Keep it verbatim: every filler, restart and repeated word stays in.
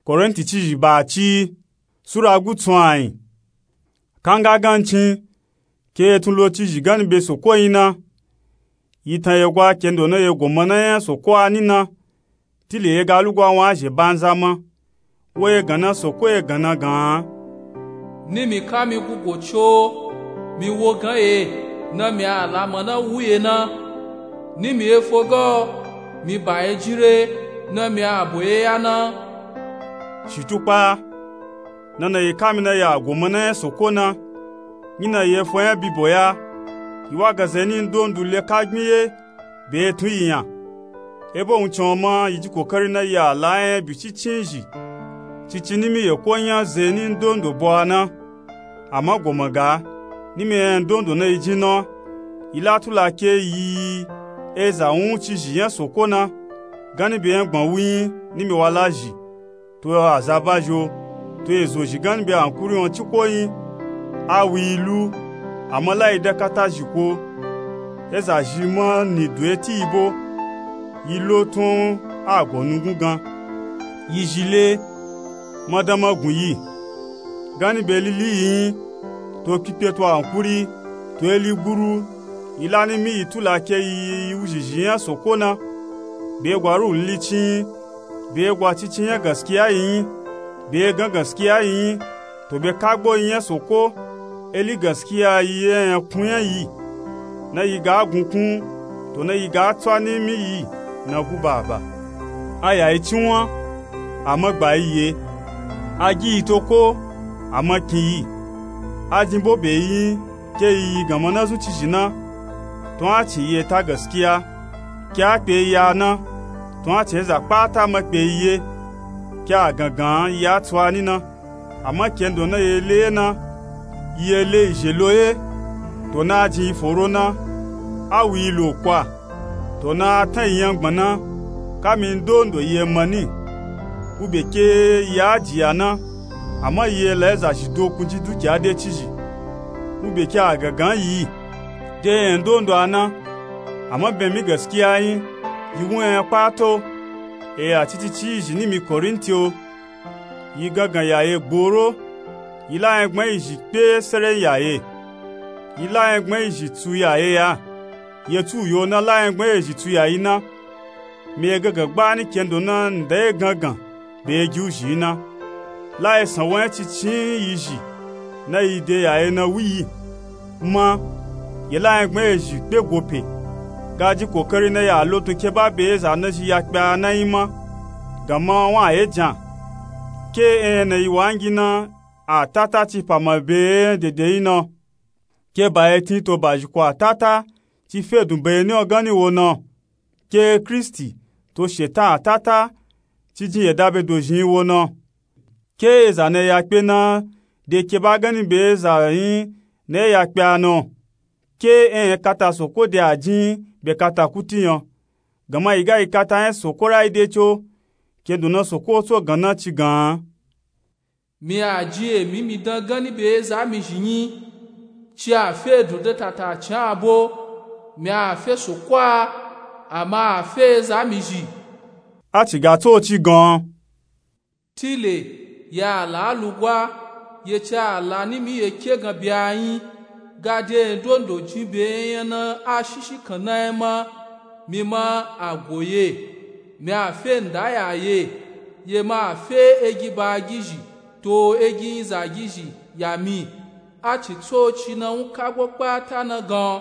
Korinti cizhi ba ci, sura gutsun ayin. Kanga gancin, ke ye tun lo cizhi gani be soko yin na, yi tan ye gwa kendo na ye goma na nya soko a ni na, tile ye ga lugwa wan a zhe banza ma. Wo ye ganna soko ye ganna gan. Ni mi ka mi gugo co, mi wo gan ye, na mi a lama na wu ye na. Ni mi efo gan, mi ba ye jin re, na mi a bo ye ya na. Shitukpa, na na yi ka mi na ya goma na nya soko na, nyi na yi efo nya bibo ya, yi wa ga zeni ndondu le ka gbin ye, be tun yi nya. Ebo wuncin o ma yi ji kokari na yi a la nya byi cincin zhi, cici ni mi ye ko nya zeni ndondo bo a na. Ama goma ga, ni mi nya ndondo na yi jin na, yi la tula ke yi eza wun cizhi nya soko na, gani be nya gban wu yin ni mi wa la zhi, to azaba zho, to ezo zhi gani be ankuri wan ciko yin. A wu yi lu, ama la yi da kata zhi ko. Eza zhi ma ni do ye ti yi bo, yi lo tun a go nugun gan. Yi zhi le, madan ma gun yi, gani be lili yi yin, to pipe to ankuri, to eli guru, yi la ni mi yi tula ke yi yi wu zhi zhi nya soko na. Be gwa ruhu lili cin yin, be gwa cincin nya gaskiya yi yin, be gan gaskiya yi yin, to be kagbo yi nya soko, eli gaskiya yi ye nya kun nya yi. Na yi ga gun kun, to na yi ga tswa ni mi yi na gu baba. A ya yi cinwan, ama gba yi ye. A gi yi to ko, ama kin yi. A jin bo be yi yin, ke yi yi ganma na zun cizhi na, tun a cin yi ye ta gaskiya. Ke a kpe yi ya na, tun a cin eza kpata ma kpe yi ye. Ke a gangan yi a tswa ni na, ama kendo na yi e le ye na, yi e le yi zhe lo ye. To na a jin yi foro na, a wu yi lo kwa, to na a tan yi nyangban na, ka mi ndondo yi e ma ni. Wu be ke yi a jiya na, ama yi e la eza zhi do kun ji dukiya de cizhi. Wu be ke a gangan yi, de nya ndondo a na, ama be mi gaskiya yin, yi wu nya nya kpata o. E ya cici ci yi zhi ni mi Korinti o. Yi gangan ya ye gboro, yi la nyangban yi zhi kpe sere ya ye, yi la nyangban yi zhi tsu ya ye ya, ye tsu yo na la nyangban yi zhi tsu ya yi na. Mi ye gangan gba ni kendo na nda ye gangan be ye gi wu zhi yi na. La ye san wo nya cincin yi zhi na yi de ya ye na wu yi. Ma, ye la nyangban ye zhi kpe go pe, ga ji kokari na ya lo tun ke ba be eza na zhi ya kpe a na yin ma, ganma wan a ye jan. Ke enya na yi wa ngi na, atata ci pa ma be ye nya dede yin na. Ke ba ye tin to ba zhi ko atata ci fe dun be ye ni o gan ni wo na. Ke Kristi to shetan atata ci jin ye da be do zhin yi wo na. Ke eza na ya kpe na de ke ba gani be eza yin na ya kpe a na. Ke enya kata soko de a jin be kata kuti nya. Ganma yi ga yi kata nya soko ra yi de co, kendo na soko tso gan na ci gan. Mi a ji emi mi dan gani be eza mi zhi yin, ci a fe dun de tata cin a bo. Mi a fe soko a, ama a fe eza mi zhi. A ci ga tso ci gan. Tile, ya la lugwa, ye ci a la ni mi ye ke gan be a yin, ga de ndondo jin be nya na a shishi kan na ye ma, mi ma a go ye. Mi a fe nda ya ye, ye ma a fe egi ba gizhi to egi yin za gizhi ya mi. A ci tso ci na wu kagbo kpata na gan.